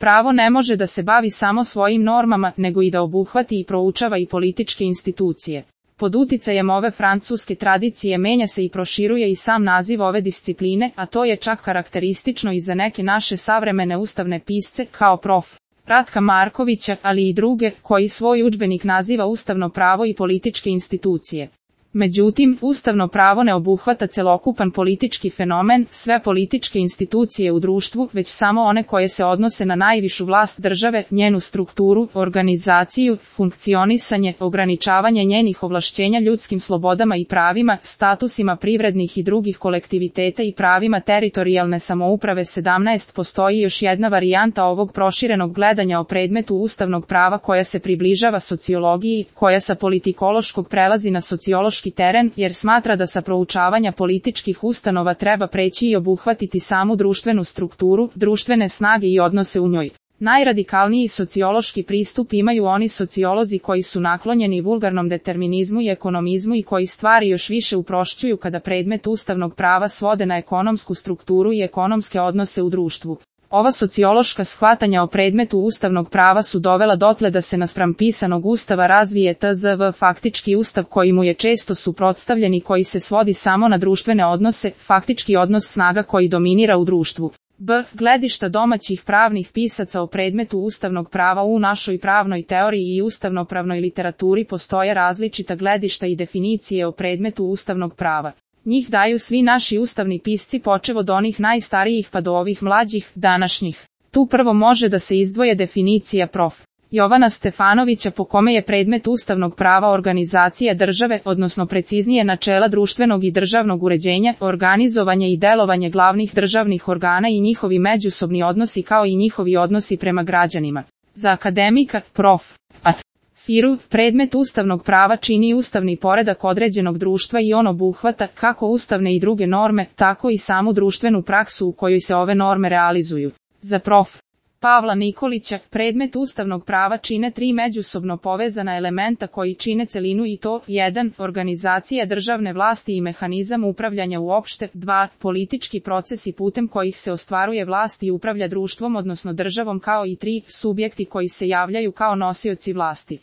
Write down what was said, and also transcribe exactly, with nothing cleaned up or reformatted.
Pravo ne može da se bavi samo svojim normama, nego i da obuhvati i proučava i političke institucije. Pod uticajem ove francuske tradicije menja se i proširuje i sam naziv ove discipline, a to je čak karakteristično i za neke naše savremene ustavne pisce, kao prof. Ratka Markovića, ali i druge, koji svoj udžbenik naziva ustavno pravo i političke institucije. Međutim, ustavno pravo ne obuhvata celokupan politički fenomen, sve političke institucije u društvu, već samo one koje se odnose na najvišu vlast države, njenu strukturu, organizaciju, funkcionisanje, ograničavanje njenih ovlašćenja ljudskim slobodama i pravima, statusima privrednih i drugih kolektiviteta i pravima teritorijalne samouprave. sedamnaest Postoji još jedna varijanta ovog proširenog gledanja o predmetu ustavnog prava koja se približava sociologiji, koja sa politikološkog prelazi na sociološki teren, jer smatra da sa proučavanja političkih ustanova treba preći i obuhvatiti samu društvenu strukturu, društvene snage i odnose u njoj. Najradikalniji sociološki pristup imaju oni sociolozi koji su naklonjeni vulgarnom determinizmu i ekonomizmu i koji stvari još više uprošćuju kada predmet ustavnog prava svode na ekonomsku strukturu i ekonomske odnose u društvu. Ova sociološka shvatanja o predmetu ustavnog prava su dovela dotle da se naspram pisanog ustava razvije tzv. Faktički ustav koji mu je često suprotstavljen i koji se svodi samo na društvene odnose, faktički odnos snaga koji dominira u društvu. B. Gledišta domaćih pravnih pisaca o predmetu ustavnog prava. U našoj pravnoj teoriji i ustavnopravnoj literaturi postoje različita gledišta i definicije o predmetu ustavnog prava. Njih daju svi naši ustavni pisci počev od onih najstarijih pa do ovih mlađih, današnjih. Tu prvo može da se izdvoje definicija prof. Jovana Stefanovića po kome je predmet ustavnog prava organizacija države, odnosno preciznije načela društvenog i državnog uređenja, organizovanje i delovanje glavnih državnih organa i njihovi međusobni odnosi kao i njihovi odnosi prema građanima. Za akademika, prof. Firu, predmet ustavnog prava čini ustavni poredak određenog društva i on obuhvata kako ustavne i druge norme, tako i samu društvenu praksu u kojoj se ove norme realizuju. Za prof. Pavla Nikolića, predmet ustavnog prava čine tri međusobno povezana elementa koji čine celinu i to: jedan. Organizacija državne vlasti i mehanizam upravljanja uopšte, dva. Politički procesi putem kojih se ostvaruje vlast i upravlja društvom odnosno državom, kao i tri. Subjekti koji se javljaju kao nosioci vlasti.